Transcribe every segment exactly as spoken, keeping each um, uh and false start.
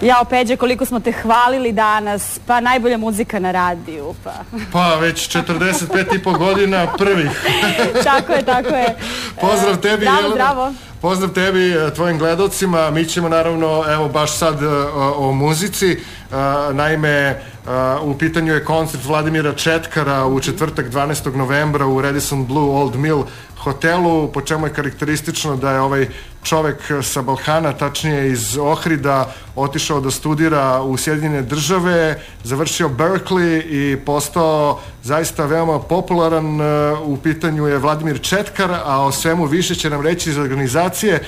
Jao, Peđe, koliko smo te hvalili danas, pa najbolja muzika na radiju, pa... Pa već četrdeset pet i po godina prvih. Tako je, tako je. Pozdrav tebi, Bravo, Jelena. bravo. Pozdrav tebi, tvojim gledalcima. Mi ćemo naravno, evo baš sad o, o muzici. Naime, u pitanju je koncert Vladimira Četkara u četvrtak dvanaestog novembra u Radisson Blu Old Mill hotelu, po čemu je karakteristično da je ovaj čovek sa Balkana, tačnije iz Ohrida, otišao da studira u Sjedinjene države, završio Berkeley i postao zaista veoma popularan. U pitanju je Vladimir Četkar, a o svemu više će nam reći iz organizacije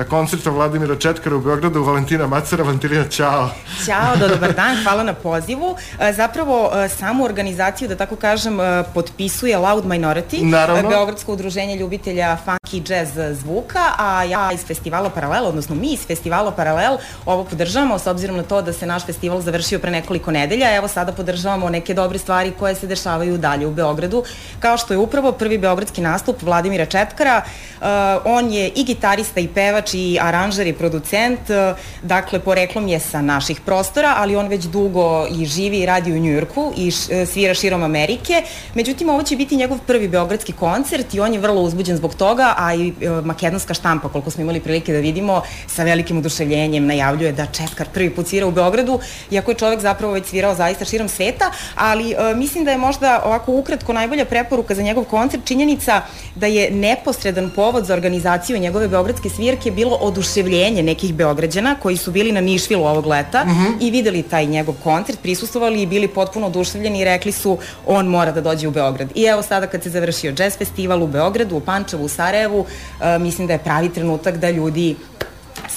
koncerta Vladimira Četkara u Beogradu Valentina Macera. Valentina, čao. Ćao, dobar dan, hvala na pozivu. Zapravo, samu organizaciju, da tako kažem, potpisuje Loud Minority, Naravno. Beogradsko udruženje ljubitelja funky jazz zvuka, a ja iz festivala Paralel, odnosno mi iz festivala Paralel, ovo podržavamo, s obzirom na to da se naš festival završio pre nekoliko nedelja. Evo sada podržavamo neke dobre stvari koje se dešavaju dalje u Beogradu, kao što je upravo prvi beogradski nastup Vladimira Četkara. Uh, on je i gitarista i pevač i aranžer i producent, uh, dakle poreklom je sa naših prostora, ali on već dugo i živi i radi u Njujorku i š, svira širom Amerike. Međutim, ovo će biti njegov prvi beogradski koncert i on je vrlo uzbuđen zbog toga, a i uh, makedonska štampa, koliko smo imali prilike da vidimo, sa velikim oduševljenjem najavljuje da Četkar prvi put svira u Beogradu, iako je čovek zapravo već svirao zaista širom sveta, ali uh, mislim da je možda ovako ukratko najbolja preporuka za njegov koncert činjenica da je neposredan povod za organizaciju njegove beogradske svirke bilo oduševljenje nekih Beograđana koji su bili na Nišvilu ovog leta mm -hmm. i videli taj njegov koncert, prisustvovali i bili potpuno oduševljeni i rekli su on mora da dođe u Beograd. I evo sada kad se završio jazz festival u Beogradu, u Pančevu, u Sarajevu, uh, mislim da je pravi trenutak da ljudi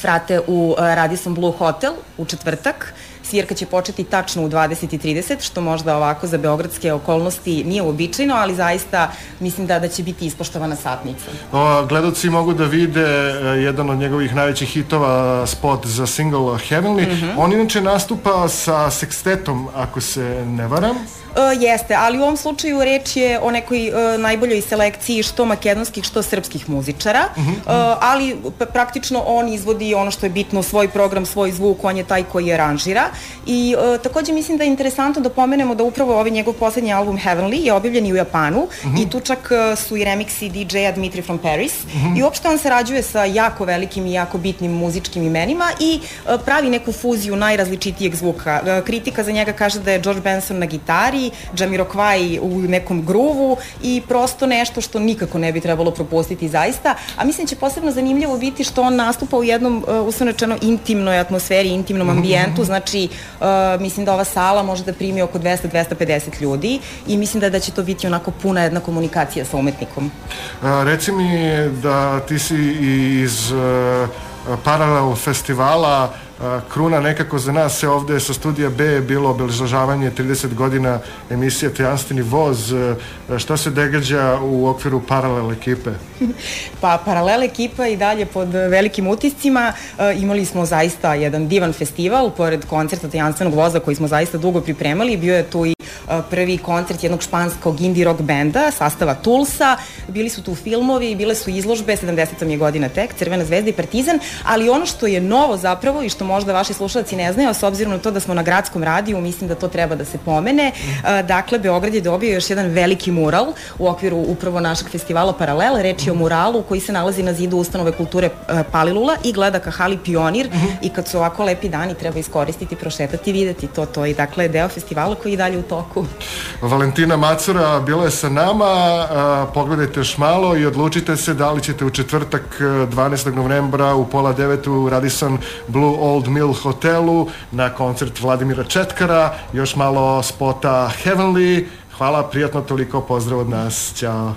svrate u uh, Radisson Blu hotel u četvrtak. Svirka će početi tačno u dvadeset i trideset, što možda ovako za beogradske okolnosti nije uobičajeno, ali zaista mislim da, da će biti ispoštovana satnica. O, gledalci mogu da vide jedan od njegovih najvećih hitova, spot za single Heavenly. Mm -hmm. On inače nastupa sa sekstetom, ako se ne varam. Uh, jeste, ali u ovom slučaju reč je o nekoj uh, najboljoj selekciji što makedonskih, što srpskih muzičara, uh -huh. uh, ali praktično on izvodi ono što je bitno, svoj program, svoj zvuk, on je taj koji je aranžira. I uh, takođe mislim da je interesantno da pomenemo da upravo ovaj njegov poslednji album Heavenly je objavljen i u Japanu uh -huh. i tu čak uh, su i remiksi D J-a Dmitri from Paris uh -huh. i uopšte on sarađuje sa jako velikim i jako bitnim muzičkim imenima i uh, pravi neku fuziju najrazličitijeg zvuka. Uh, kritika za njega kaže da je George Benson na gitari, Jamiroquai u nekom gruvu i prosto nešto što nikako ne bi trebalo propustiti zaista, a mislim će posebno zanimljivo biti što on nastupa u jednom uh, uslovno intimnoj atmosferi, intimnom ambijentu, znači uh, mislim da ova sala može da primi oko dvesta do dvesta pedeset ljudi i mislim da, da će to biti onako puna jedna komunikacija sa umetnikom. A, reci mi da ti si iz uh, Paralel festivala. Kruna nekako za nas se ovde sa studija B je bilo obeležavanje trideset godina emisije Tajanstveni voz. Šta se događa u okviru Paralel ekipe? Pa Paralel ekipa i dalje pod velikim utiscima. E, imali smo zaista jedan divan festival, pored koncerta Tajanstvenog voza koji smo zaista dugo pripremali. Bio je tu i prvi koncert jednog španskog indie rock benda, sastava Tulsa, bili su tu filmovi, bile su izložbe, sedamdeseta je godina tek, Crvena zvezda i Partizan, ali ono što je novo zapravo i što možda vaši slušalci ne znaju, s obzirom na to da smo na gradskom radiju, mislim da to treba da se pomene. Dakle, Beograd je dobio još jedan veliki mural u okviru upravo našeg festivala Paralel, reč je o muralu koji se nalazi na zidu ustanove kulture Palilula i gleda ka hali Pionir i kad su ovako lepi dani treba iskoristiti, prošetati, videti to, to i dakle deo festivala koji je dalje u toku. Valentina Macura bila je sa nama, pogledajte još malo i odlučite se da li ćete u četvrtak dvanaestog novembra u pola devet u Radisson Blu Old Mill hotelu na koncert Vladimira Četkara, još malo spota Heavenly. Hvala, prijatno, toliko, pozdrav od nas, ćao.